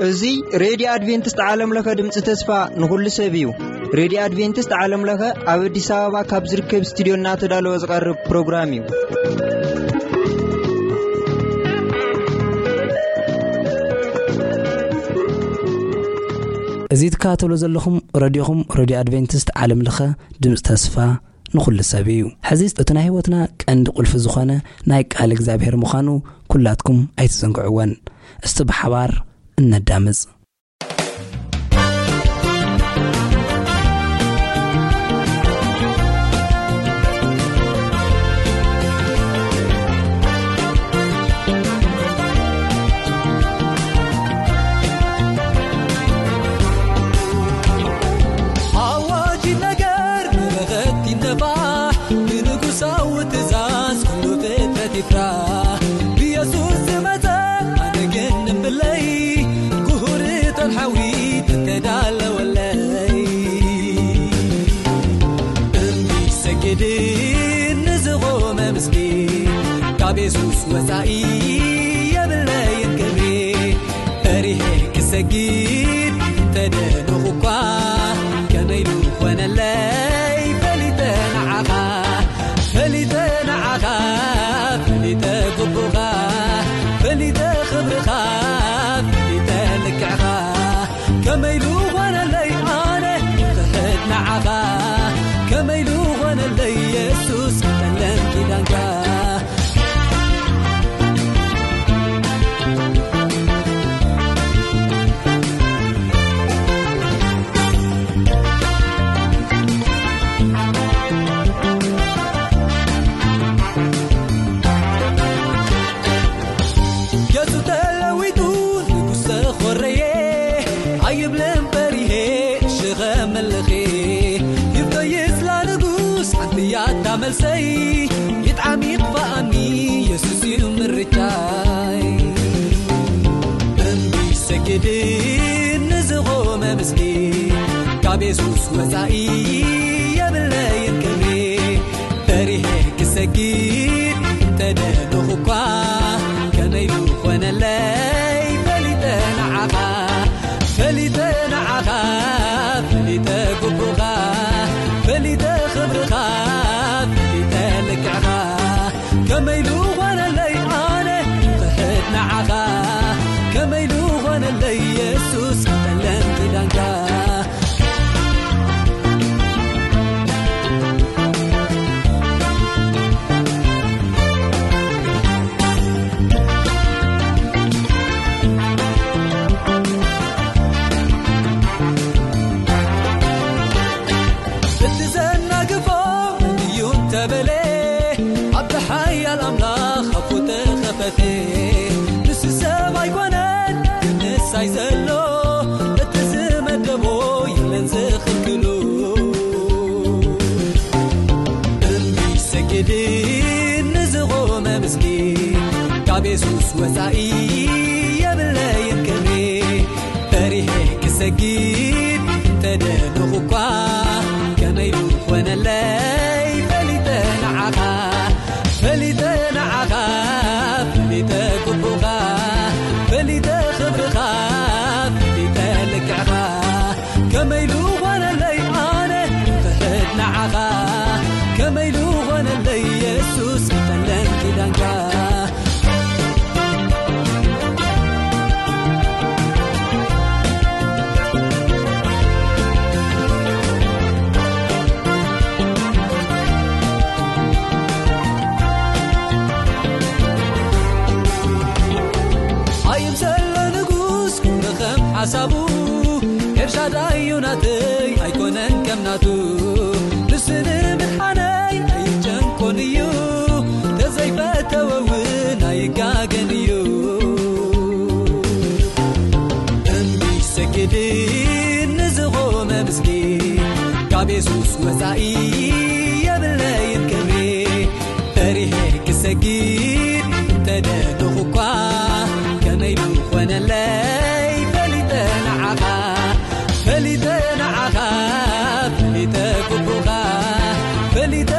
እዚ ሬድዮ ኣድቬንቲስት ዓለም ለኸ ድምፂ ተስፋ ንኹሉ ሰብ እዩ። ሬድዮ ኣድቬንቲስት ዓለም ለኸ ኣብ ኣዲስ ኣበባ ካብ ዝርከብ ስቱዲዮ እናተዳለወ ዝቐርብ ፕሮግራም እዩ። እዚ ትከታተሉ ዘለኹም ረድዮኹም፣ ረድዮ ኣድቬንቲስት ዓለም ለኸ ድምፂ ተስፋ ንኹሉ ሰብ እዩ። ሕዚ እቲ ናይ ህይወትና ቀንዲ ቁልፊ ዝኾነ ናይ ቃል እግዚኣብሔር ምዃኑ ኩላትኩም ኣይትዘንግዕወን። እስቲ ብሓባር እነዳምፅ። ኣዋጅ ነገር ንበኸት ይነፋሕ፣ ብንጉሳዊ ትእዛዝ ኩሉ ፍጥረት ይፍራህ። ብየሱስ ዝመጸ ኣነ ግን እምብለይ፣ ጉሁርቶን ሓዊ ተተዳለወለይ። እምቢ ሰግድን ንዝቖመ ምስኪን፣ ካብ የሱስ ወጻኢ የብለይን ክብሪ። ፈሪሄ ክሰግድ እንተደለኹ እኳ፣ ከመይ ዝኾነለይ ፈሊጠ ንዓኻ፣ ፈሊጠ ንዓኻ፣ ፈሊጠ ግቡኻ፣ ፈሊጠ ክብርኻ፣ ፈሊጠ ልክዕኻ። ከመይ ዝኾነለይ ኣነ ክሕድ ንዓኻ፣ ከመይ ዝኾነለይ የሱስ ክጠለም ኪዳንካ። ገጹ ተለዊጡ ንጉስ ተኾረየ፣ ኣይብልን ፈሪሄ ሽኸ መልኺ። ይብቶ ይስላ ንጉስ ሓንቲ እያ እታ መልሰይ፣ ይጥዓም ይጥፋኣኒ የሱስ እዩ ምርጫይ። እምቢ ሰግድን ንዝቖመ ምስኪን፣ ካብ የሱስ ወጻኢ የብለይን ክብሪ። ፈሪሄ ክሰግድ እንተደለኹ እኳ፣ ከመይ ዝኾነለይ ፈሊጠ ንዓኻ፣ ፈሊጠ ንዓኻ፣ ፈሊጠ ግቡኻ፣ ፈሊጠ ክብርኻ፣ ፈሊጠ ልክዕኻ። ከመይ ዝኾነለይ ኣነ ክሕድ ንዓኻ፣ ከመይ ዝኾነለይ የሱስ ክጠለም ኪዳንካ። እቲ ዘናግፎ እዩ እንተበለ፣ ኣብቲ ሓያል ኣምላኽ ኣፉ ተኸፈተ። ንሱ ሰብ ኣይኮነን ክምሳይ ዘሎ፣ እቲ ዝመደቦ የለን ዝኽልክሉ። እምቢ ሰግድን ንዝቖመ ምስኪን፣ ካብ የሱስ ወጻኢ የብለይን ክብሪ። ፈሪሄ ክሰግድ እንተደለኹ እኳ፣ ከመይ ዝኾነለይ ፈሊጠ ንዓኻ፣ ፈሊጠ ንዓኻ፣ ፈሊጠ ግቡኻ፣ ፈሊጠ ክብርኻ፣ ፈሊጠ ልክዕኻ። ከመይ ዝኾነለይ ኣነ ክሕድ ንዓኻ፣ ከመይ ዝኾነለይ የሱስ ክጠለም ኪዳንካ። ኣይም ዘሎ ንጉስ ክብሪ ከም ሓሳቡ፣ ኤልሻዳይ እዩ ናተይ ኣይኮነን ከም ናቱ። ንሱ ንምድሓነይ ኣይጨንቆን እዩ፣ ተዘይፈተወ እውን ኣይጋገን እዩ። እምቢ ሰግድን ንዝቖመ ምስኪን፣ ካብ የሱስ ወጻኢ የብለይን ክብሪ። ፈሪሄ ክሰግድ እንተደለኹ እኳ፣ ከመይ ዝኾነለይ ፈሊጠ ንዓኻ፣ ፈሊጠ ንዓኻ፣ ፈሊጠ ግቡኻ፣ ፈሊጠ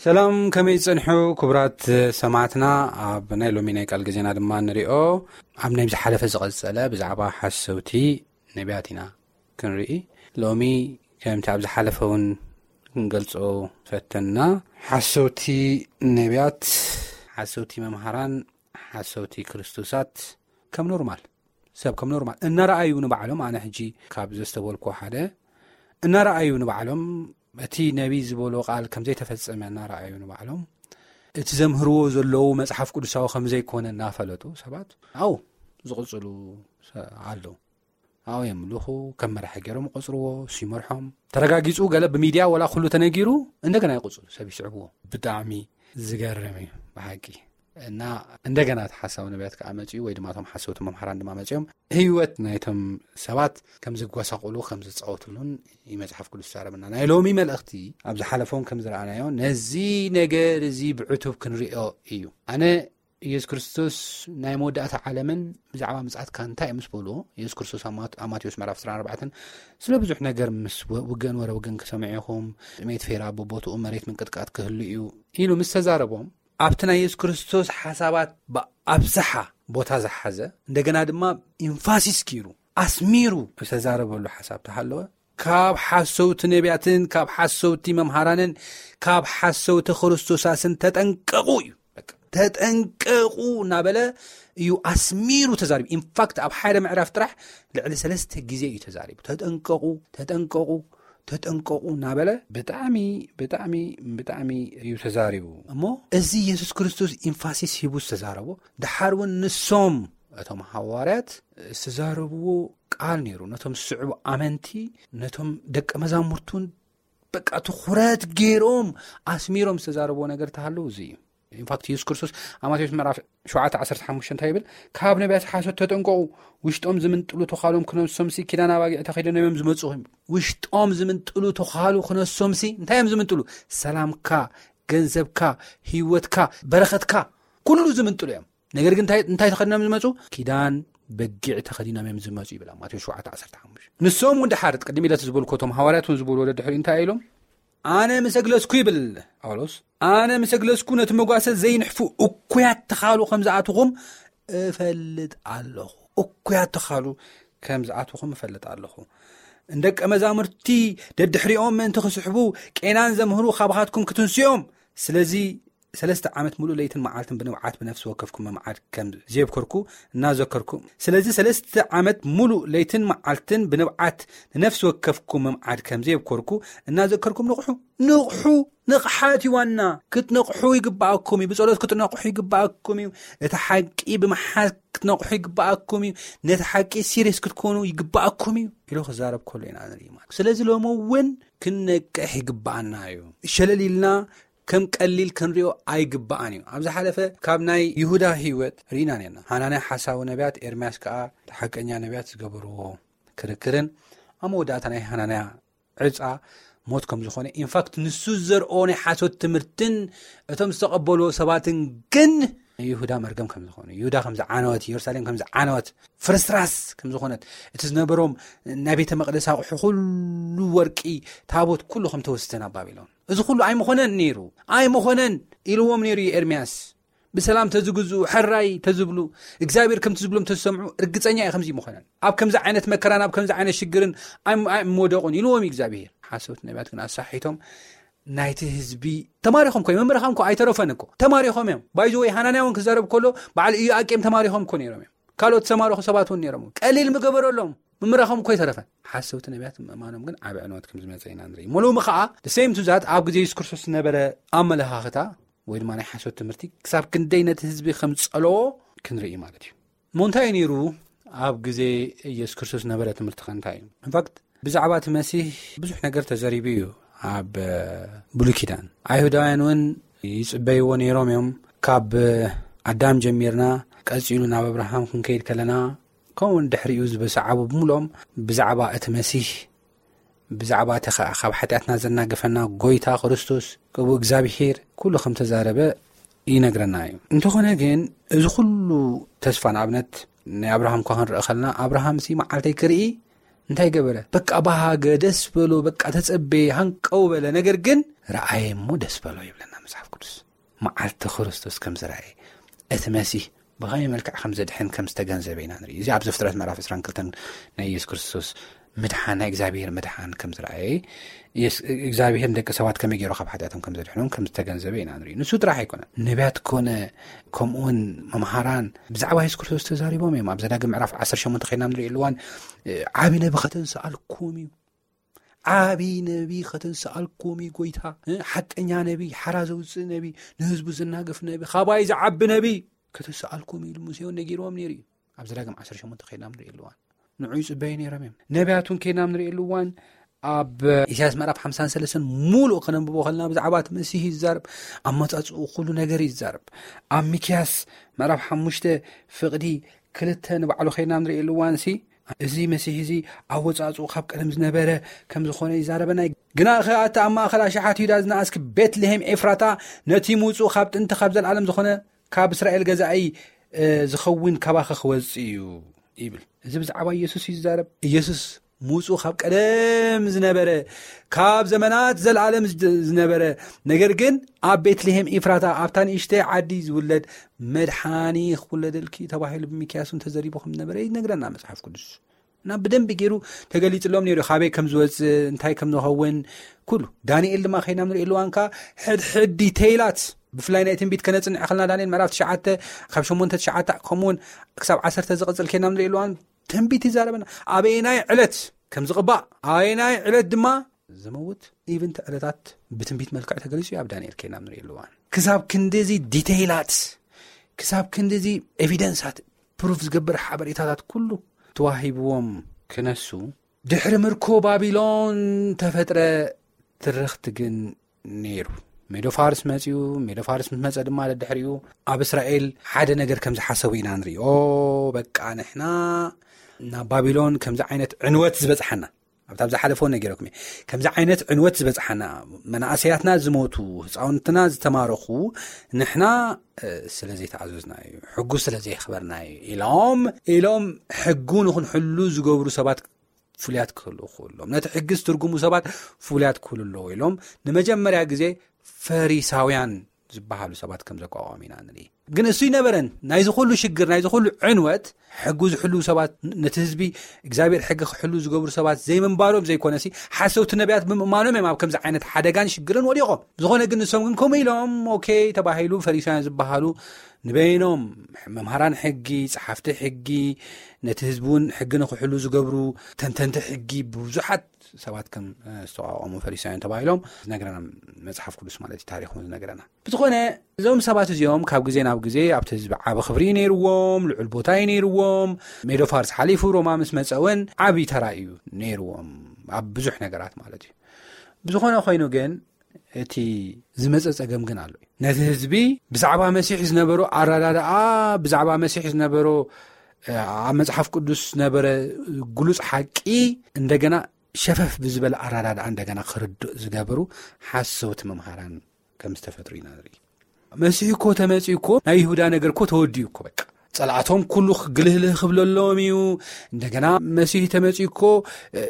ሰላም፣ ከመይ ጸንሑ ክቡራት ሰማዕትና? ኣብ ናይ ሎሚ ናይ ቃል ግዜና ድማ ንሪኦ፣ ኣብ ናይ ዝሓለፈ ዝቐጸለ ብዛዕባ ሓሰውቲ ነቢያት ኢና ክንርኢ። ሎሚ ከምቲ ኣብ ዝሓለፈ እውን ክንገልጾ ፈተና፣ ሓሰውቲ ነቢያት፣ ሓሰውቲ መምሃራን፣ ሓሰውቲ ክርስቶሳት ከም ኖርማል፣ ሰብ ከም ኖርማል እናረኣዩ ንባዕሎም፣ ኣነ ሕጂ ካብ ዘስተበልኩ ሓደ፣ እናረኣዩ ንባዕሎም እቲ ነቢ ዝበሎ ቃል ከም ዘይተፈጸመ እናረኣዩ ንባዕሎም፣ እቲ ዘምህርዎ ዘለዉ መጽሓፍ ቅዱሳዊ ከም ዘይኮነ እናፈለጡ ሰባት ኣብኡ ዝቕጽሉ ሰ-፣ ኣለዉ። ኣብኡ የምልኹ፣ ከም መራሒ ገይሮም ይቆጽርዎ፣ እሱ ይመርሖም። ተረጋጊጹ ገለ ብሚድያ ወላ ኩሉ ተነጊሩ፣ እንደገና ይቕጽሉ፣ ሰብ ይስዕብዎ። ብጣዕሚ ዝገርም እዩ ብሓቂ። እና እንደገና እቲ ሓሳዊ ነቢያት ከኣ መጺኡ፣ ወይ ድማ እቶም ሓሰውቲ መምሃራን ድማ መጺኦም ህይወት ናይቶም ሰባት ከም ዝጓሳቑሉ፣ ከም ዝጻወትሉን እዩ መጽሓፍ ቅዱስ ዝዛረበና። ናይ ሎሚ መልእኽቲ ኣብ ዝሓለፈውን ከም ዝረኣናዮ፣ ነዚ ነገር እዚ ብዕቱብ ክንሪኦ እዩ። ኣነ ኢየሱስ ክርስቶስ ናይ መወዳእታ ዓለምን ብዛዕባ ምጽኣትካ እንታይ እዩ ምስ በልዎ፣ ኢየሱስ ክርስቶስ ኣብ ማት-፣ ኣብ ማቴዎስ ምዕራፍ ዕስራን ኣርባዕተን ስለ ብዙሕ ነገር ምስ ወ-፣ ውግእን ወረ ውግእን ክሰምዑ ኢኹም፣ ጥሜት ፌራ ብቦትኡ መሬት ምንቅጥቃጥ ክህሉ እዩ ኢሉ ምስ ተዛረቦም፣ ኣብቲ ናይ የሱስ ክርስቶስ ሓሳባት ብኣብዝሓ ቦታ ዝሓዘ፣ እንደገና ድማ ኢንፋሲስ ገይሩ ኣስሚሩ ዝተዛረበሉ ሓሳብ ተሃለወ፣ ካብ ሓሰውቲ ነቢያትን ካብ ሓሰውቲ መምሃራንን ካብ ሓሰውቲ ክርስቶሳስን ተጠንቀቑ እዩ። በቃ፣ ተጠንቀቑ እናበለ እዩ ኣስሚሩ ተዛሪቡ። ኢንፋክት፣ ኣብ ሓደ ምዕራፍ ጥራሕ ልዕሊ ሰለስተ ግዜ እዩ ተዛሪቡ። ተጠንቀቑ፣ ተጠንቀቑ፣ ተጠንቀቑ እናበለ ብጣዕሚ፣ ብጣዕሚ፣ ብጣዕሚ እዩ ተዛሪቡ። እሞ እዚ የሱስ ክርስቶስ ኢንፋሲስ ሂቡ ዝተዛረቦ፣ ደሓር እውን ንሶም፣ እቶም ሃዋርያት ዝተዛረብዎ ቃል ነይሩ። ነቶም ዝስዕቡ ኣመንቲ፣ ነቶም ደቀ መዛሙርቱን በቃ ትኹረት ገይሮም ኣስሚሮም ዝተዛረብዎ ነገር ተሃለዉ እዚ እዩ። ኢንፋክት፣ የሱስ ክርስቶስ ኣብ ማቴዎስ ምዕራፍ ሸውዓተ ዓሰርተ ሓሙሽተ እንታይ ይብል? ካብ ነቢያት ሓሶት ተጠንቀቑ፣ ውሽጦም ዝምንጥሉ ተዃሎም ክነሶምሲ ኪዳን ኣባጊዕ ተኸዲኖም እዮም ዝመጹ። ውሽጦም ዝምንጥሉ ተዃሉ ክነሶምሲ እንታይ እዮም ዝምንጥሉ? ሰላምካ፣ ገንዘብካ፣ ህይወትካ፣ በረኸትካ፣ ኩሉ ዝምንጥሉ እዮም። ነገር ግን እንታይ፣ እንታይ ተኸዲኖም ዝመጹ? ኪዳን በጊዕ ተኸዲኖም እዮም ዝመጹ ይብል ኣብ ማቴዎስ ሸውዓተ ዓሰርተ ሓሙሽተ። ንሶም እውን ደሓር፣ ቅድም ኢለ እቲ ዝበልኩ፣ እቶም ሃዋርያት እውን ዝበልዎ ደድሕሪ እንታይ ኢሎም? ኣነ ምስ ኣግለስኩ ይብል ጳውሎስ፣ ኣነ ምስ ኣግለስኩ ነቲ መጓሰ ዘይንሕፉ እኩያት ተኻሉ ከም ዝኣትኹም እፈልጥ ኣለኹ። እኩያት ተኻሉ ከም ዝኣትኹም እፈልጥ ኣለኹ። ንደቀ መዛሙርቲ ደድሕሪኦም ምእንቲ ክስሕቡ ቄናን ዘምህሩ ካባኻትኩም ክትንስኦም። ስለዚ ሰለስተ ዓመት ሙሉእ ለይትን መዓልትን ብንብዓት ብነፍሲ ወከፍኩም ምምዓድ ከም ዘየብከርኩ እናዘከርኩ፣ ስለዚ ሰለስተ ዓመት ሙሉእ ለይትን መዓልትን ብንብዓት ንነፍሲ ወከፍኩም ምምዓድ ከም ዘየብከርኩ እናዘከርኩም ንቕሑ። ንቕሑ፣ ንቕሓት እዩ ዋና። ክትነቕሑ ይግባኣኩም እዩ። ብጸሎት ክትነቕሑ ይግባኣኩም እዩ። እቲ ሓቂ ብምሓዝ ክትነቕሑ ይግባኣኩም እዩ። ነቲ ሓቂ ሲሪየስ ክትኮኑ ይግባኣኩም እዩ ኢሉ ክዛረብ ከሎ ኢና ንርኢ ማለት። ስለዚ ሎሚ እውን ክንነቅሕ ይግባኣና እዩ። ሸለል ኢልና ከም ቀሊል ክንሪኦ ኣይግባኣን እዩ። ኣብ ዝሓለፈ ካብ ናይ ይሁዳ ህይወት ርኢና ነርና። ሃናንያ ሓሳዊ ነቢያት፣ ኤርምያስ ከኣ ሓቀኛ ነቢያት ዝገበርዎ ክርክርን ኣብ መወዳእታ ናይ ሃናንያ ዕጻ ሞት ከም ዝኾነ፣ ኢንፋክት ንሱ ዘርኦ ናይ ሓሶት ትምህርትን እቶም ዝተቐበልዎ ሰባትን ግን ይሁዳ መርገም ከም ዝኾነ፣ ይሁዳ ከም ዝዓነወት፣ ኢየሩሳሌም ከም ዝዓነወት፣ ፍርስራስ ከም ዝኾነት፣ እቲ ዝነበሮም ናይ ቤተ መቕደስ ኣቑሑ ኩሉ፣ ወርቂ፣ ታቦት ኩሉ ከም ተወስደ ናብ ባቢሎን። እዚ ኩሉ ኣይምኾነን ነይሩ፣ ኣይምኾነን ኢልዎም ነይሩ እዩ ኤርምያስ። ብሰላም ተዝግዝኡ፣ ሕራይ ተዝብሉ፣ እግዚኣብሔር ከምቲ ዝብሎም ተዝሰምዑ፣ ርግጸኛ እየ ከምዚ ምኾነን። ኣብ ከምዚ ዓይነት መከራን ኣብ ከምዚ ዓይነት ሽግርን ኣይም-፣ ኣይምወደቑን ኢልዎም እዩ እግዚኣብሔር። ሓሰውቲ ነቢያት ግን ኣሳሒቶም ናይቲ ህዝቢ ተማሪኾም እኮ እዮም። መምህርኻ እኮ ኣይተረፈን እኮ። ተማሪኾም እዮም። ባይዘወይ ሃናንያ እውን ክዛረብ ከሎ በዓል ኢዮኣቄም ተማሪኾም እኮ ነይሮም እዮም። ካልኦት ዝተማረኹ ሰባት እውን ነይሮም። ቀሊል ምገበረሎም። ምምራኾም እኮ ኣይተረፈን። ሓሰውቲ ነቢያት ምእማኖም ግን ዓቢ ዕንወት ከም ዝመጸ ኢና ንርኢ። እሞ ሎሚ ኸኣ the same to that ኣብ ግዜ የሱስ ክርስቶስ ዝነበረ ኣመለኻኽታ ወይ ድማ ናይ ሓሶት ትምህርቲ ክሳብ ክንደይ ነቲ ህዝቢ ከም ጸለዎ ክንርኢ ማለት እዩ። እሞ እንታይ እዩ ነይሩ ኣብ ግዜ የሱስ ክርስቶስ ዝነበረ ትምህርቲ ኸ እንታይ እዩ? ኢንፋክት ብዛዕባ እቲ መሲህ ብዙሕ ነገር ተዘሪቡ እዩ ኣብ ብሉይ ኪዳን። ኣይሁዳውያን እውን ይጽበይዎ ነይሮም እዮም። ካብ ኣዳም ጀሚርና ቀጺሉ ናብ ኣብርሃም ክንከይድ ከለና ከምኡውን ድሕሪኡ ዝበሰዓቡ ብምልኦም ብዛዕባ እቲ መሲህ፣ ብዛዕባ እቲ ኸኣ ካብ ሓጢኣትና ዘናገፈና ጐይታ ክርስቶስ፣ ከምኡ እግዚኣብሄር ኩሉ ከም ተዛረበ ይነግረና እዩ። እንተኾነ ግን እዚ ኩሉ ተስፋ፣ ንኣብነት ናይ ኣብርሃም እኳ ክንርኢ ከለና፣ ኣብርሃምሲ መዓልተይ ክርኢ እንታይ ገበረ? በቃ ባህገ፣ ደስ በሎ፣ በቃ ተጸበየ፣ ሃንቀው በለ። ነገር ግን ረኣየ እሞ ደስ በሎ ይብለና መጽሓፍ ቅዱስ። መዓልቲ ክርስቶስ ከም ዝረኣየ፣ እቲ መሲህ ብኸመይ መልክዕ ከም ዘድሕን ከም ዝተገንዘበ ኢና ንርኢ። እዚ ኣብ ዘፍጥረት ምዕራፍ ዕስራን ክልተን ናይ ኢየሱስ ክርስቶስ ምድሓን፣ ናይ እግዚኣብሔር ምድሓን ከም ዝረኣየ፣ ኢየሱስ እግዚኣብሔር ንደቂ ሰባት ከመይ ገይሩ ካብ ሓጢኣቶም ከም ዘድሕኖም ከም ዝተገንዘበ ኢና ንርኢ። ንሱ ጥራሕ ኣይኮነን፣ ነቢያት ኮነ ከምኡውን መምሃራን ብዛዕባ የሱስ ክርስቶስ ተዛሪቦም እዮም። ኣብ ዘዳግም ምዕራፍ ዓሰርተ ሸሞንተ ኸይድና ንርኢ ኣለዋን፣ ዓቢ ነቢ ከተንስኣልኩም እዩ። ዓቢ ነቢ ከተንስኣልኩም እዩ ጎይታ። ሓቀኛ ነቢ፣ ሓራ ዘውፅእ ነቢ፣ ንህዝቡ ዝናገፍ ነቢ፣ ካባይ ዝዓቢ ነቢ ከተንስኣልኩም እዩ ኢሉ ሙሴውን ነጊርዎም ነይሩ እዩ። ኣብ ዘዳግም ዓሰርተ ሸሞንተ ኸይድና ንርኢ ኣለዋን፣ ንዑ ይፅበዩ ነይሮም እዮም። ነቢያቱን ኬናም ንርእየሉ እዋን ኣብ ኢሳያስ ምዕራፍ ሓምሳን ሰለስተን ሙሉእ ከነንብቦ ከለና ብዛዕባ እቲ መሲህ ይዛረብ። ኣመጻጽኡ ኩሉ ነገር ይዛረብ። ኣብ ሚክያስ ምዕራፍ ሓሙሽተ ፍቕዲ ክልተ ንባዕሉ ኸይድና ንርእየሉ እዋን ሲ፣ እዚ መሲህ እዚ ኣወጻጽኡ ካብ ቀደም ዝነበረ ከም ዝኾነ ይዛረበና። ግና ኸኣ እቲ ኣብ ማእከል ኣሽሓት ይሁዳ ዝነኣስኪ ቤትልሄም ኤፍራታ፣ ነቲ ምውጽኡ ካብ ጥንቲ ካብ ዘለኣለም ዝኾነ ካብ እስራኤል ገዛኢ ዝኸውን ካባኸ ክወጽእ እዩ ይብል። እዚ ብዛዕባ ኢየሱስ እዩ ዝዛረብ። ኢየሱስ ምውጽኡ ካብ ቀደም ዝነበረ፣ ካብ ዘመናት ዘለኣለም ዝነበረ፣ ነገር ግን ኣብ ቤትልሄም ኢፍራታ ኣብታ ንእሽተይ ዓዲ ዝውለድ መድሓኒ ክውለደልኪ ተባሂሉ ብሚክያስ እውን ተዘሪቡ ከም ዝነበረ ይነግረና መጽሓፍ ቅዱስ። እና ብደንቢ ገይሩ ተገሊጽሎም ነይሩ፣ ካበይ ከም ዝወጽእ፣ እንታይ ከም ዝኸውን ኩሉ። ዳንኤል ድማ ኸይና ንርኢ ኣለዋንካ ሕድሕድ ዲቴይላት፣ ብፍላይ ናይ ትንቢት ከነጽንዕ ከለና ዳንኤል ምዕራፍ ትሽዓተ ካብ ሸሞንተ ትሽዓተ ከምኡውን ክሳብ ዓሰርተ ዝቕጽል ኬና ንርኢ ኣለዋን ትንቢት ይዛረበና። ኣበየናይ ዕለት ከም ዝቕባእ፣ ኣበየናይ ዕለት ድማ ዝመውት፣ ኢቭን እቲ ዕለታት ብትንቢት መልክዕ ተገሊጹ እዩ ኣብ ዳንኤል ኬና ንርኢ ኣለዋን። ክሳብ ክንዲዚ ዲቴይላት፣ ክሳብ ክንዲዚ ኤቪደንሳት፣ ፕሩፍ ዝገብር ሓበሬታታት ኩሉ ተዋሂብዎም ክነሱ፣ ድሕሪ ምርኮ ባቢሎን ተፈጥረ ትርኽቲ ግን ነይሩ። ሜዶ ፋርስ መጺኡ። ሜዶ ፋርስ ምስ መጸ ድማ ደድሕሪኡ ኣብ እስራኤል ሓደ ነገር ከም ዝሓሰቡ ኢና ንርኢ። ኦ፣ በቃ ንሕና ናብ ባቢሎን ከምዚ ዓይነት ዕንወት ዝበጽሓና፣ ኣብታ ኣብ ዝሓለፈ እውን ነጊረኩም እየ። ከምዚ ዓይነት ዕንወት ዝበጽሓና፣ መናእሰያትና ዝሞቱ፣ ህፃውንትና ዝተማረኹ፣ ንሕና፣ እ፣ ስለ ዘይተኣዘዝና እዩ፣ ሕጉ ስለ ዘየኽበርና እዩ ኢሎም፣ ኢሎም ሕጉ ንኽንሕሉ ዝገብሩ ሰባት ፍሉያት ክህልዉ ክህሎም፣ ነቲ ሕጊ ዝትርጉሙ ሰባት ፍሉያት ክህሉ ኣለዎ ኢሎም ንመጀመርያ ግዜ ፈሪሳውያን ዝበሃሉ ሰባት ከም ዘቋቋሙ ኢና ንርኢ። ግን እሱ ይነበረን፣ ናይዚ ኩሉ ሽግር፣ ናይዚ ኩሉ ዕንወት፣ ሕጉ ዝሕልዉ ሰባት፣ ነቲ ህዝቢ እግዚኣብሔር ሕጊ ክሕልዉ ዝገብሩ ሰባት ዘይምንባሮም ዘይኮነሲ፣ ሓሰውቲ ነቢያት ብምእማኖም እዮም ኣብ ከምዚ ዓይነት ሓደጋን ሽግርን ወዲቖም። ዝኾነ ግን ንሶም ግን ከምኡ ኢሎም፣ ኦኬ ተባሂሉ፣ ፈሪሳውያን ዝበሃሉ ንበይኖም መምሃራን ሕጊ፣ ጸሓፍቲ ሕጊ፣ ነቲ ህዝቢ እውን ሕጊ ንኽሕሉ ዝገብሩ ተንተንቲ ሕጊ ብዙሓት ሰባት ከም፣ እ፣ ዝተቋቋሙ ፈሪሳውያን ተባሂሎም ዝነግረና መጽሓፍ ቅዱስ ማለት እዩ፣ ታሪኽ እውን ዝነግረና። ብዝኾነ እዞም ሰባት እዚኦም ካብ ግዜ ናብ ግዜ ኣብቲ ህዝቢ ዓቢ ክብሪ እዩ ነይርዎም፣ ልዑል ቦታ እዩ ነይርዎም። ሜዶ ፋርስ ሓሊፉ ሮማ ምስ መጸ እውን ዓቢ ተራ እዩ ነይርዎም ኣብ ብዙሕ ነገራት ማለት እዩ። ብዝኾነ ኮይኑ ግን እቲ ዝመጸ ጸገም ግን ኣሎ። ነቲ ህዝቢ ብዛዕባ መሲሕ ዝነበሮ ኣረዳድኣ፣ ብዛዕባ መሲሕ ዝነበሮ፣ እ፣ ኣብ መጽሓፍ ቅዱስ ዝነበረ ግሉጽ ሓቂ እንደገና ሸፈፍ ብዝበለ ኣረዳድኣ እንደገና ክርድእ ዝገበሩ ሓሰውቲ መምሃራን ከም ዝተፈጥሩ ኢና ንርኢ። መሲሕ እኮ ተመጺኡ እኮ ናይ ይሁዳ ነገር እኮ ተወዲኡ እኮ በቃ። ጸላእቶም ኩሉ ክግልህልህ ክብለሎም እዩ። እንደገና መሲህ ተመጺኡ እኮ፣ እ፣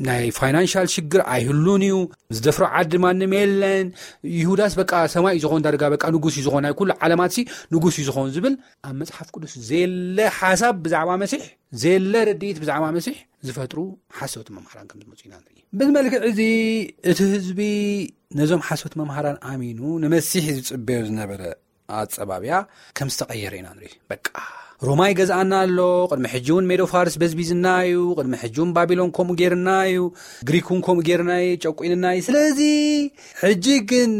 ናይ ፋይናንሻል ሽግር ኣይህሉን እዩ። ዝደፍሮ ዓዲ ማንም የለን። ይሁዳስ በቃ ሰማይ እዩ ዝኾን፣ ዳርጋ በቃ ንጉስ እዩ ዝኾን፣ ናይ ኩሉ ዓለማትሲ ንጉስ እዩ ዝኾን ዝብል ኣብ መጽሓፍ ቅዱስ ዘየለ ሓሳብ ብዛዕባ መሲሕ፣ ዘየለ ርድኢት ብዛዕባ መሲሕ ዝፈጥሩ ሓሰውቲ መምሃራን ከም ዝመጹ ኢና ንርኢ። በዚ መልክዕ እዚ እቲ ህዝቢ ነዞም ሓሰውቲ መምሃራን ኣሚኑ ንመሲሕ ዝጽበዮ ዝነበረ ኣጸባብያ ከም ዝተቐየረ ኢና ንርኢ። በቃ ሮማ ይገዝኣና ኣሎ፣ ቅድሚ ሕጂ እውን ሜዶ ፋርስ በዝቢዝና እዩ፣ ቅድሚ ሕጂ እውን ባቢሎን ከምኡ ጌርና እዩ፣ ግሪክ እውን ከምኡ ጌርና እዩ፣ ጨቁንና እዩ። ስለዚ ሕጂ ግን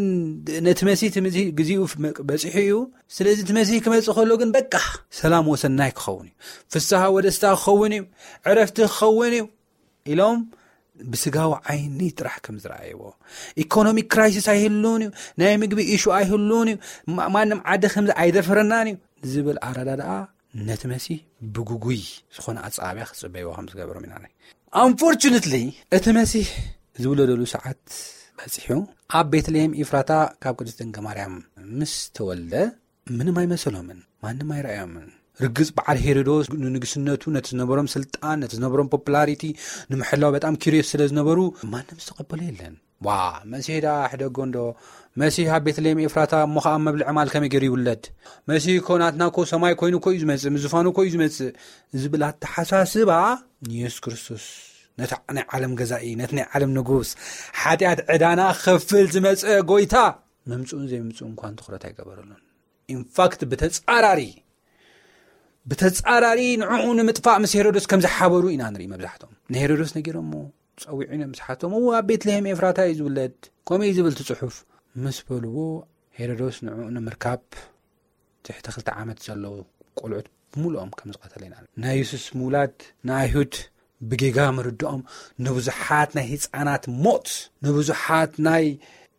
ነቲ መሲህ እቲ ምዚ-፣ ግዜኡ ፍ-፣ በጺሑ እዩ። ስለዚ እቲ መሲህ ክመጽእ ከሎ ግን በቃ ሰላም ወሰናይ ክኸውን እዩ፣ ፍስሃ ወደስታ ክኸውን እዩ፣ ዕረፍቲ ክኸውን እዩ ኢሎም ብስጋዊ ዓይኒ ጥራሕ ከም ዝረኣይዎ፣ ኢኮኖሚክ ክራይሲስ ኣይህሉን እዩ፣ ናይ ምግቢ ኢሹ ኣይህሉን እዩ፣ ማ-፣ ማንም ዓዲ ከምዚ ኣይደፍረናን እዩ ዝብል ኣረዳድኣ ነቲ መሲህ ብግጉይ ዝኾነ ኣጸባብያ ክጽበይዎ ከም ዝገበሮም ኢና ንርኢ። ኣንፎርቹነትሊ እቲ መሲህ ዝውለደሉ ሰዓት በጺሑ ኣብ ቤትልሄም ኢፍራታ ካብ ቅድስት ድንግል ማርያም ምስ ተወልደ ምንም ኣይመሰሎምን፣ ማንም ኣይረኣዮምን። ርግጽ በዓል ሄሮዶስ ንንግስነቱ፣ ነቲ ዝነበሮም ስልጣን፣ ነቲ ዝነበሮም ፖፑላሪቲ ንምሕላው በጣም ኪሪዮስ ስለ ዝነበሩ፣ ማንም ዝተቐበሎ የለን። ዋ፣ መሲሕ ደኣ ሕደጎ እንዶ፣ መሲሕ ኣብ ቤትልሔም ኤፍራታ፣ እሞ ኸኣ ኣብ መብልዒ ማል ከመይ ገይሩ ይውለድ? መሲሕ እኮ ናትና እኮ ሰማይ ኮይኑ እኮ እዩ ዝመጽእ፣ ምስ ዝፋኑ እኮ እዩ ዝመጽእ ዝብል ኣተሓሳስባ፣ ንየሱስ ክርስቶስ፣ ነቲ ናይ ዓለም ገዛኢ፣ ነቲ ናይ ዓለም ንጉስ፣ ሓጢኣት ዕዳና ክኸፍል ዝመጸ ጎይታ፣ ምምጽኡን ዘይምምጽኡን እንኳን ትኹረት ኣይገበረሉን። ኢንፋክት ብተጻራሪ፣ ብተጻራሪ ንዕኡ ንምጥፋእ ምስ ሄሮዶስ ከም ዝሓበሩ ኢና ንርኢ። መብዛሕቶም ንሄሮዶስ ነጊሮሞ፣ ጸዊዑ፣ ምስ ሓቶም፣ "እዎ፣ ኣብ ቤትልሔም ኤፍራታ እዩ ዝውለድ፣ ከምኡ እዩ ዝብል እቲ ጽሑፍ" ምስ በልዎ፣ ሄሮዶስ ንዕኡ ንምርካብ ትሕቲ ክልተ ዓመት ዘለዉ ቆልዑት ብምሉኦም ከም ዝቐተለ ኢና ንርኢ። ናይ የሱስ ምውላድ ንኣይሁድ ብጌጋ ምርድኦም ንብዙሓት ናይ ህጻናት ሞት፣ ንብዙሓት ናይ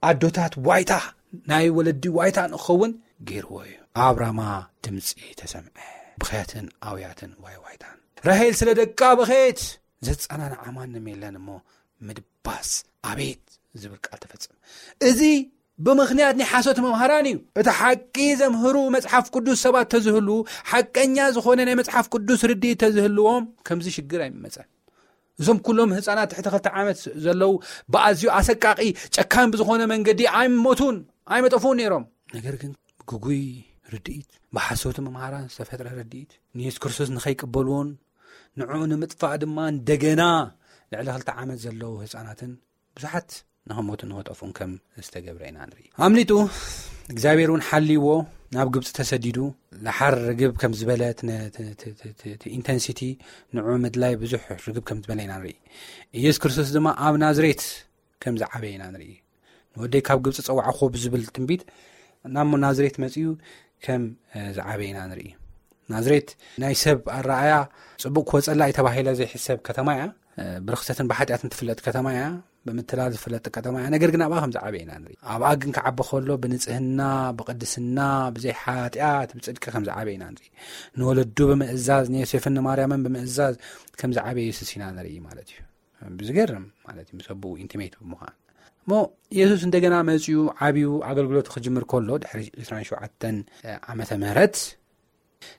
ኣዶታት ዋይታ፣ ናይ ወለዲ ዋይታ ንኸውን ገይርዎ እዩ። ኣብ ራማ ድምጺ ተሰምዐ፣ ብኽያትን ኣውያትን ዋይ ዋይታን። ራሄል ስለ ደቃ በኸየት፣ ዘጸናንዓ ማንም የለን እሞ ምድባስ ኣቤት ዝብል ቃል ተፈጸመ። እዚ ብምኽንያት ናይ ሓሶት መምሃራን እዩ። እቲ ሓቂ ዘምህሩ መጽሓፍ ቅዱስ ሰባት ተዝህሉ፣ ሓቀኛ ዝኾነ ናይ መጽሓፍ ቅዱስ ርድኢት ተዝህልዎም፣ ከምዚ ሽግር ኣይመጸን። እዞም ኩሎም ህጻናት ትሕቲ ክልተ ዓመት ዘለዉ ብኣዝዩ ኣሰቃቂ፣ ጨካን ብዝኾነ መንገዲ ኣይሞቱን፣ ኣይመጠፉን ነይሮም። ነገር ግን ግጉይ ርድኢት፣ ብሓሶት መምሃራን ዝተፈጥረ ርድኢት፣ ንየሱስ ክርስቶስ ንኸይቅበልዎን ንዕኡ ንምጥፋእ ድማ እንደገና ልዕሊ ክልተ ዓመት ዘለዉ ህጻናትን ብዙሓት ንኸሞቱ ንኸጠፍኡን ከም ዝተገብረ ኢና ንርኢ። ኣምሊጡ፣ እግዚኣብሔር እውን ሓልይዎ ናብ ግብፂ ተሰዲዱ፣ ለሓር ርግብ ከም ዝበለ፣ እቲ ነ-፣ እቲ፣ እቲ፣ እቲ፣ እቲ ኢንተንሲቲ ንዕኡ ምድላይ ብዙሕ ርግብ ከም ዝበለ ኢና ንርኢ። ኢየሱስ ክርስቶስ ድማ ኣብ ናዝሬት ከም ዝዓበየ ኢና ንርኢ። "ንወደይ ካብ ግብፂ ጸዋዕኹ" ብዝብል ትንቢት ናብ ናዝሬት መጺኡ ከም፣ እ፣ ዝዓበየ ኢና ንርኢ። ናዝሬት ናይ ሰብ ኣረኣያ ጽቡቕ ክወጸላ እዩ ተባሂላ ዘይሕሰብ ከተማ እያ። እ፣ ብርኽሰትን ብሓጢኣትን ትፍለጥ ከተማ እያ። ብምትላል ዝፍለጥ ከተማ እያ። ነገር ግን ኣብኣ ከም ዝዓበየ ኢና ንርኢ። ኣብኣ ግን ክዓቢ ከሎ ብንጽህና፣ ብቅድስና፣ ብዘይ ሓጢኣት፣ ብጽድቂ ከም ዝዓበየ ኢና ንርኢ። ንወለዱ ብምእዛዝ፣ ንዮሴፍን ንማርያምን ብምእዛዝ ከም ዝዓበየ የሱስ ኢና ንርኢ ማለት እዩ። ብዝገርም ማለት እዩ፣ ምስ ኣቦኡ ኢንቲሜት ብምዃን። እሞ የሱስ እንደገና መጺኡ ዓብዩ ኣገልግሎቱ ክጅምር ከሎ፣ ድሕሪ ዕስራን ሸውዓተን ዓመተ ምህረት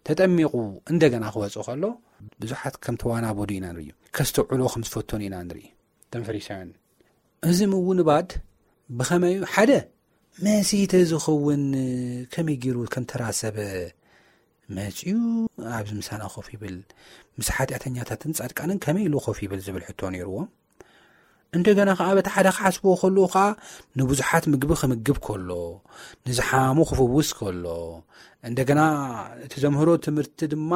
ተጠሚቑ እንደገና ክወጽእ ከሎ፣ ብዙሓት ከም ተዋናበዱ ኢና ንርኢ። ከስተውዕሎ ከም ዝፈተኑ ኢና ንርኢ። እቶም ፈሪሳውያን፣ እዚ ምውንባድ ብኸመይ እዩ? ሓደ፣ መሲህ ተዝኸውን ከመይ ገይሩ ከም ተራ ሰብ መጺኡ ኣብዚ ምሳና ኮፍ ይብል? ምስ ሓጢኣተኛታትን ጻድቃንን ከመይ ኢሉ ኮፍ ይብል? ዝብል ሕቶ ነይርዎም። እንደገና ከኣ በቲ ሓደ ክሓስብዎ ከለዉ ከኣ ንብዙሓት ምግቢ ክምግብ ከሎ፣ ንዝሓሙ ክፍውስ ከሎ፣ እንደገና እቲ ዘምህሮ ትምህርቲ ድማ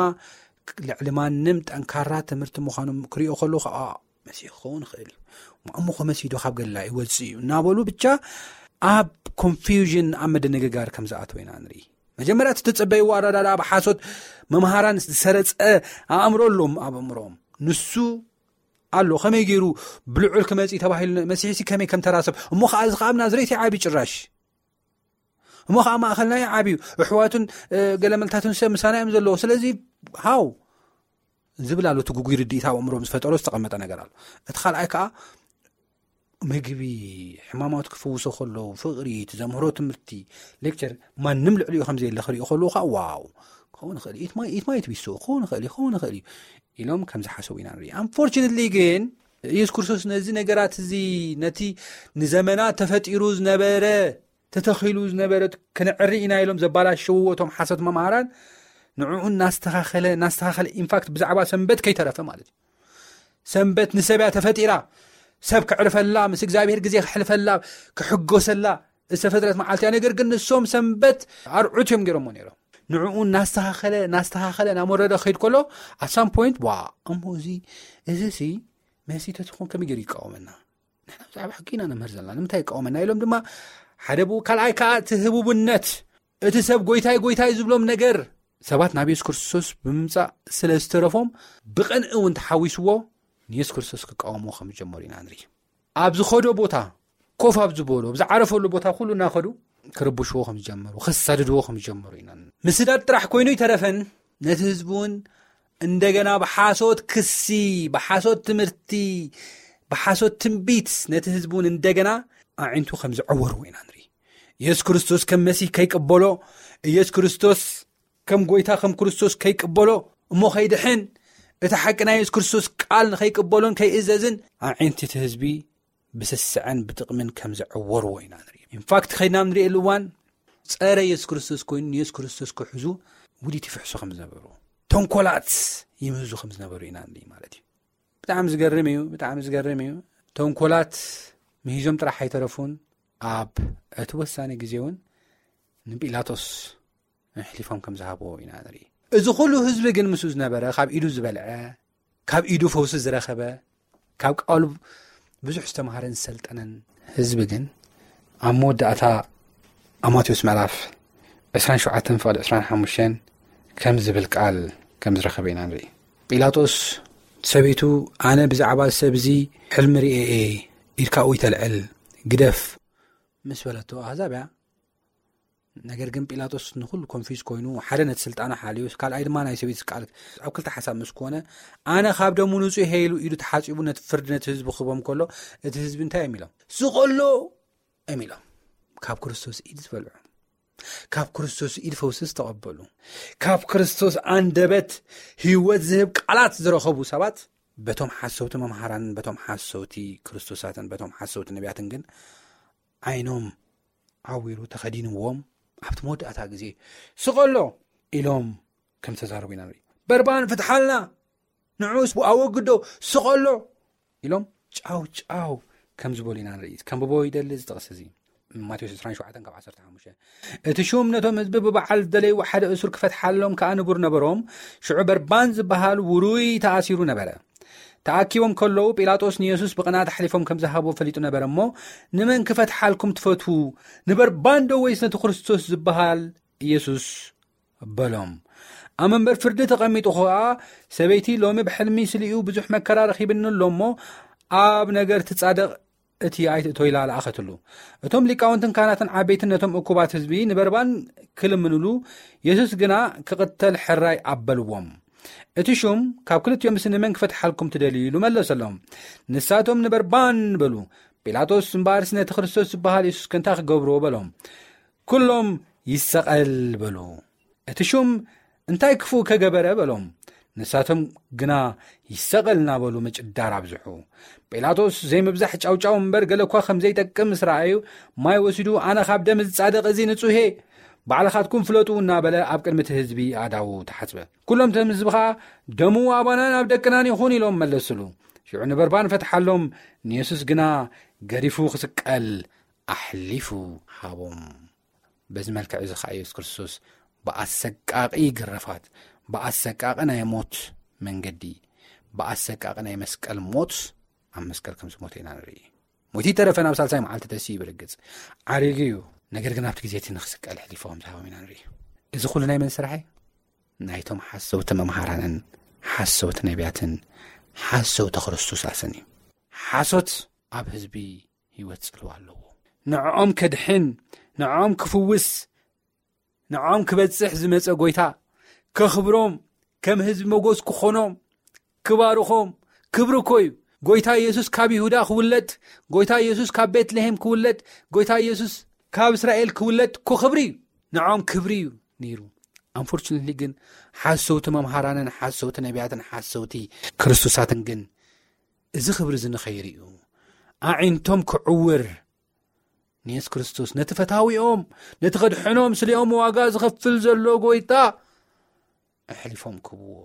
ልዕሊ ማንም ጠንካራ ትምህርቲ ምዃኑ ክሪኦ ከሎ ከኣ መሲሕ ክኸውን ይኽእል እዩ። እሞ ከ መሲሕ ዶ ካብ ገሊላ ይወጽእ እዩ እናበሉ ብቻ ኣብ ኮንፊውዥን፣ ኣብ ምድንግጋር ከም ዝኣተው ኢና ንርኢ። መጀመርያ እቲ ትጸበይዎ ኣረዳድኣ ብሓሶት መምሃራን ዝሰረጸ ኣእምሮ ኣሎም ኣብ ኣእምሮኦም። ንሱ ኣሎ፣ ከመይ ገይሩ ብልዑል ክመጽእ ተባሂሉ? መሲሕሲ ከመይ ከም ተራ ሰብ? እሞ ከኣ እዚ ከኣ ኣብ ናዝሬት ይዓቢ ጭራሽ። እሞ ከኣ ማእከልና ይዓብዩ። ኣሕዋቱን፣ እ፣ ገለመልታቱን ሰብ ምሳና እዮም ዘለዉ። ስለዚ ሃው ዝብል ኣሎ። እቲ ግጉይ ርድኢት ኣብ ኣእምሮኦም ዝፈጠሮ ዝተቐመጠ ነገር ኣሎ። እቲ ካልኣይ ከኣ ምግቢ፣ ሕማማት ክፍውሶ ከሎ፣ ፍቕሪ፣ እቲ ዘምህሮ ትምህርቲ፣ ሌክቸር፣ ማንም ልዕሊኡ ከም ዘየለ ክሪኡ ከለዉ ከኣ ዋው፣ ክኸውን ይኽእል እዩ። ኢት ማይ፣ ኢት ማይት ቢ ሶ፣ ክኸውን ይኽእል እዩ፣ ክኸውን ይኽእል እዩ ኢሎም ከም ዝሓሰቡ ኢና ንርኢ። ኣንፎርቹነትሊ ግን ኢየሱስ ክርስቶስ ነዚ ነገራት እዚ፣ ነቲ ንዘመናት ተፈጢሩ ዝነበረ፣ ተተኺሉ ዝነበረ ክነዕሪ ኢና ኢሎም ዘባላሸውዎ እቶም ሓሶት መምሃራን፣ ንዕኡ እናስተኻኸለ፣ እናስተኻኸለ፣ ኢንፋክት ብዛዕባ ሰንበት ከይተረፈ ማለት እዩ። ሰንበት ንሰብ እያ ተፈጢራ፣ ሰብ ከዕርፈላ፣ ምስ እግዚኣብሔር ግዜ ከሕልፈላ፣ ክሕጎሰላ ዝተፈጥረት መዓልቲ እያ። ነገር ግን ንሶም ሰንበት ኣርዑት እዮም ገይሮሞ ነይሮም። ንዕኡ እናስተኻኸለ፣ እናስተኻኸለ፣ እናመረረ ክኸይድ ከሎ፣ ኣት ሳም ፖይንት፣ ዋ፣ እሞ እዚ፣ እዚ ሲ መሲ ተትኾን ከመይ ገይሩ ይቃወመና? ንሕና ብዛዕባ ሕጊ ኢና ነምህር ዘለና፣ ንምንታይ ይቃወመና? ኢሎም ድማ ሓደ ብኡ፣ ካልኣይ ከኣ እቲ ህቡብነት፣ እቲ ሰብ ጎይታይ፣ ጎይታይ ዝብሎም ነገር፣ ሰባት ናብ የሱስ ክርስቶስ ብምምጻእ ስለ ዝተረፎም፣ ብቕንኢ እውን ተሓዊስዎ፣ ንየሱስ ክርስቶስ ክቃወምዎ ከም ዝጀመሩ ኢና ንርኢ። ኣብ ዝኸዶ ቦታ፣ ኮፍ ኣብ ዝበሎ፣ ኣብ ዝዓረፈሉ ቦታ ኩሉ እናኸዱ ክርብሽዎ ከም ዝጀመሩ፣ ከሳድድዎ ከም ዝጀመሩ ኢና ንርኢ። ምስዳድ ጥራሕ ኮይኑ ይተረፈን፣ ነቲ ህዝቢ እውን እንደገና ብሓሶት ክሲ፣ ብሓሶት ትምህርቲ፣ ብሓሶት ትንቢት ነቲ ህዝቢ እውን እንደገና ኣዒንቱ ከም ዝዐወርዎ ኢና ንርኢ። ኢየሱስ ክርስቶስ ከም መሲህ ከይቅበሎ፣ ኢየሱስ ክርስቶስ ከም ጎይታ ከም ክርስቶስ ከይቅበሎ፣ እሞ ከይድሕን፣ እቲ ሓቂ ናይ የሱስ ክርስቶስ ቃል ንኸይቅበሎን ከይእዘዝን ኣዒንቲ እቲ ህዝቢ ብስስዐን ብጥቕምን ከም ዘዐወርዎ ኢና ንርኢ። ኢንፋክት ከይድና ንርእየሉ እዋን ጸረ የሱስ ክርስቶስ ኮይኑ ንየሱስ ክርስቶስ ክሕዙ ውዲት ይፍሕሱ ከም ዝነበሩ፣ ተንኮላት ይምህዙ ከም ዝነበሩ ኢና ንርኢ ማለት እዩ። ብጣዕሚ ዝገርም እዩ፣ ብጣዕሚ ዝገርም እዩ። ተንኮላት ምሂዞም ጥራሕ ኣይተረፉን፣ ኣብ እቲ ወሳኒ ግዜ እውን ንጲላጦስ ኣሕሊፎም ከም ዝሃብዎ ኢና ንርኢ። እዚ ኩሉ ህዝቢ ግን ምስኡ ዝነበረ፣ ካብ ኢዱ ዝበልዐ፣ ካብ ኢዱ ፈውሲ ዝረኸበ፣ ካብ ቃሉ ብዙሕ ዝተምሃረን ዝሰልጠነን ህዝቢ ግን ኣብ መወዳእታ ኣብ ማቴዎስ ምዕራፍ ዕስራን ሸውዓተን ፍቕዲ ዕስራን ሓሙሽተን ከም ዝብል ቃል ከም ዝረኸበ ኢና ንርኢ። ጲላጦስ ሰበይቱ፣ "ኣነ ብዛዕባ እዚ ሰብ እዚ ሕልሚ ርእየ እየ፣ ኢድካ ውይ ተልዕል፣ ግደፍ" ምስ በለቶ ኣህዛብ እያ። ነገር ግን ጲላጦስ ንኹሉ ኮንፊዝ ኮይኑ፣ ሓደ ነቲ ስልጣኑ ሓልዩ፣ ካልኣይ ድማ ናይ ሰበይቲ ቃል ኣብ ክልተ ሓሳብ ምስ ኮነ፣ ኣነ ካብ ደሙ ንጹህ እየ ኢሉ ኢዱ ተሓጺቡ ነቲ ፍርዲ ነቲ ህዝቢ ክህቦም ከሎ፣ እቲ ህዝቢ እንታይ እዮም ኢሎም? "ስቐሎ!" እዮም ኢሎም። ካብ ክርስቶስ ኢድ ዝበልዑ፣ ካብ ክርስቶስ ኢድ ፈውሲ ዝተቐበሉ፣ ካብ ክርስቶስ ኣንደበት ህይወት ዝህብ ቃላት ዝረኸቡ ሰባት፣ በቶም ሓሰውቲ መምሃራንን በቶም ሓሰውቲ ክርስቶሳትን በቶም ሓሰውቲ ነቢያትን ግን ዓይኖም ዓዊሩ ተኸዲንዎም፣ ኣብቲ መወዳእታ ግዜ "ስቐሎ!" ኢሎም ከም ተዛረቡ ኢና ንርኢ። "በርባን ፍትሓልና፣ ንዑስ ኣወግዶ፣ ስቐሎ!" ኢሎም ጫው ጫው ከም ዝበሉ ኢና ንርኢ። ከንብቦ ይደሊ እዚ ጥቕሲ እዚ። ማቴዎስ ዕስራን ሸውዓተን ካብ ዓሰርተ ሓሙሽተ። እቲ ሹም ነቶም ህዝቢ ብበዓል ዝደለይዎ ሓደ እሱር ክፈትሓሎም ከኣ ንቡር ነበሮም። ሽዑ በርባን ዝበሃል ውሩይ ተኣሲሩ ነበረ። ተኣኪቦም ከለዉ ጲላጦስ ንየሱስ ብቕንኣት ኣሕሊፎም ከም ዝሃቦ ፈሊጡ ነበረ እሞ፣ "ንመን ክፈትሓልኩም ትፈትዉ? ንበርባን ዶ ወይስ ነቲ ክርስቶስ ዝበሃል ኢየሱስ?" በሎም። ኣብ መንበር ፍርዲ ተቐሚጡ ኸኣ፣ "ሰበይቲ ሎሚ ብሕልሚ ስሊኡ ብዙሕ መከራ ረኺብኒ ኣሎ እሞ፣ ኣብ ነገር ትጻደቕ እቲ ኣይትእቶ" ኢላ ለኣኸትሉ። እቶም ሊቃውንትን ካህናትን ዓበይትን ነቶም እኩባት ህዝቢ ንበርባን ክልምንሉ፣ የሱስ ግና ክቕተል ሕራይ ኣበልዎም። እቲ ሹም፣ "ካብ ክልቲኦም ንመን ክፈትሓልኩም ትደልዩ?" ኢሉ መለሰሎም። ንሳቶም፣ "ንበርባን" በሉ። ጲላጦስ እምበኣርስ፣ "ነቲ ክርስቶስ ዝበሃል የሱስ ከ እንታይ ክገብርዎ?" በሎም። ኩሎም፣ "ይሰቐል" በሉ። እቲ ሹም፣ "እንታይ ክፉእ ከገበረ?" በሎም። ንሳቶም ግና፣ "ይሰቐል" እናበሉ ምጭዳር ኣብዝሑ። ጲላጦስ፣ ዘይምብዛሕ ጫውጫው እምበር፣ ገለ እኳ ከም ዘይጠቅም ምስ ረኣዩ፣ ማይ ወሲዱ፣ "ኣነ ካብ ደም ዝጻደቕ እዚ ንጹህ እየ፣ ባዕልኻትኩም ፍለጡ" እናበለ ኣብ ቅድሚ እቲ ህዝቢ ኣእዳዉ ተሓጽበ። ኩሎም እቶም ህዝቢ ኸኣ፣ "ደሙ ኣባናን ኣብ ደቅናን ይኹን" ኢሎም መለስሉ። ሽዑ ንበርባን ፈትሓሎም፣ ንየሱስ ግና ገዲፉ ክስቀል ኣሕሊፉ ሃቦም። በዚ መልክዕ እዚ ኸኣ የሱስ ክርስቶስ ብኣሰቃቒ ግርፋት፣ ብኣሰቃቒ ናይ ሞት መንገዲ፣ ብኣሰቃቒ ናይ መስቀል ሞት ኣብ መስቀል ከም ዝሞተ ኢና ንርኢ። ሞይቱ ይተረፈ ናብ ሳልሳይ መዓልቲ ተሲኡ ብርግጽ ዓሪጉ እዩ። ነገር ግን ኣብቲ ግዜ እቲ ንኽስቀል ኣሕሊፉ ከም ዝሃቦም ኢና ንርኢ። እዚ ኩሉ ናይ መን ስራሕ እዩ? ናይቶም ሓሰውቲ መምሃራንን ሓሰውቲ ነቢያትን ሓሰውቲ ክርስቶሳትን እዩ። ሓሶት ኣብ ህዝቢ ህይወት ጽልዋ ኣለዎ። ንዕኦም ከድሕን፣ ንዕኦም ክፍውስ፣ ንዕኦም ክበጽሕ ዝመጸ ጎይታ ከኽብሮም፣ ከም ህዝቢ መጎስ ክኾኖም፣ ክባርኾም፣ ክብሪ እኮ እዩ። ጎይታ ኢየሱስ ካብ ይሁዳ ክውለድ፣ ጎይታ ኢየሱስ ካብ ቤትልሄም ክውለድ፣ ጎይታ ኢየሱስ ካብ እስራኤል ክውለድ እኮ ክብሪ እዩ። ንዕኦም ክብሪ እዩ ነይሩ። ኣንፎርቹኔትሊ ግን ሓሰውቲ መምሃራንን ሓሰውቲ ነቢያትን ሓሰውቲ ክርስቶሳትን ግን እዚ ክብሪ እዚ ንኸይርእዩ ኣዒንቶም ክዕውር ንየሱስ ክርስቶስ ነቲ ፈታዊኦም፣ ነቲ ከድሕኖም ስሊኦም ዋጋ ዝኸፍል ዘሎ ጎይታ ኣሕሊፎም ክህብዎ፣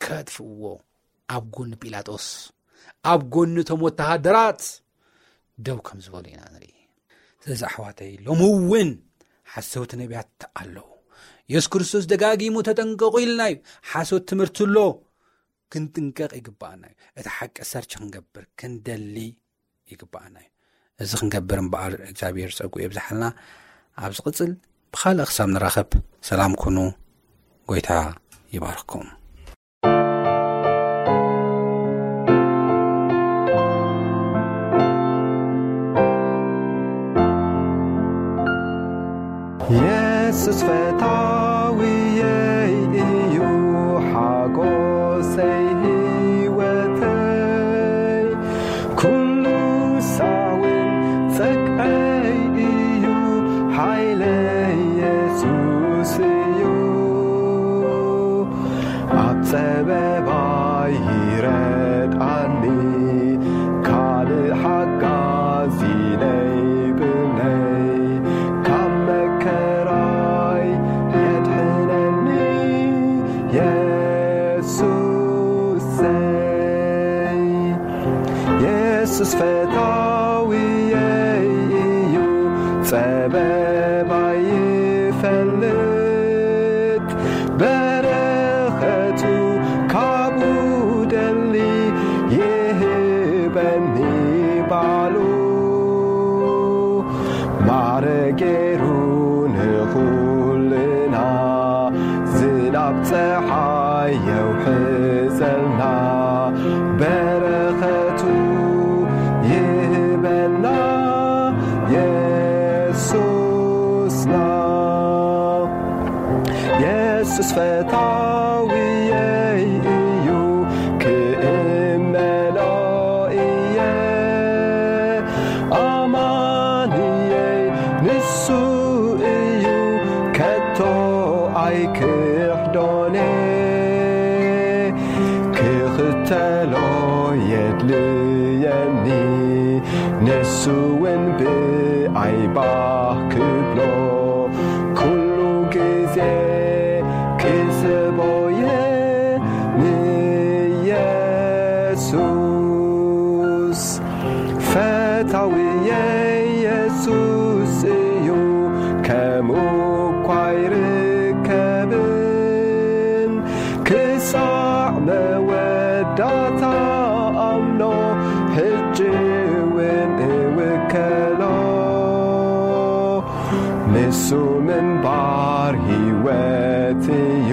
ከጥፍእዎ፣ ኣብ ጎኒ ጲላጦስ፣ ኣብ ጎኒ እቶም ወተሃደራት ደው ከም ዝበሉ ኢና ንርኢ። ስለዚ ኣሕዋተይ፣ ሎሚ እውን ሓሰውቲ ነቢያት ኣለዉ። የሱስ ክርስቶስ ደጋጊሙ "ተጠንቀቑ" ኢልና እዩ። ሓሶት ትምህርቲ ኣሎ፣ ክንጥንቀቕ ይግብኣና እዩ። እቲ ሓቂ ሰርች ክንገብር ክንደሊ ይግብኣና እዩ። እዚ ክንገብር እምበኣር እግዚኣብሔር ጸጉ የብዝሓልና። ኣብ ዝቕጽል ብኻልእ ክሳብ ንራኸብ ሰላም ኩኑ። ጎይታ ይባርኽኩም። የሱስ ፈታዊየይ እዩ፣ ሓጎሰይ ህይወተይ፣ ኩሉ ሳውን ጸግዐይ እዩ፣ ሓይለይ የሱስ እዩ። ይረድኣኒ፣ ካልእ ሓጋዚ ነይብለይ፣ ካብ መከራይ የድሕነኒ የሱሰይ። የሱስ ፈታዊየይ እዩ፣ ጸበባይ ይፈልጥ፣ በረኸቱ ካብኡ ደሊ ይህበኒ ባሉ። ማረ ገይሩ ንኹልና፣ ዝናብ ጸሓይ የውሕዘልና፣ በረኸቱ ይህበና የሱስና። የሱስ ፈታዊየይ እዩ፣ ክእመኖ እየ። ኣማንየይ ንሱ እዩ፣ ከቶ ኣይክሕዶን። ክኽተሎ የድልየኒ፣ ንሱ እውን ብኣይ ባህ ክብሎ፣ ኩሉ ግዜ ክስቦየ ንየሱስ። ፈታዊየ የሱስ እዩ፣ ከምኡ እኳ ኣይርከብን። ክሳዕ መወዳእታ ኣምኖ፣ ሕጂ እውን እውከሎ። ንሱ ምንባር ህይወት እዩ፣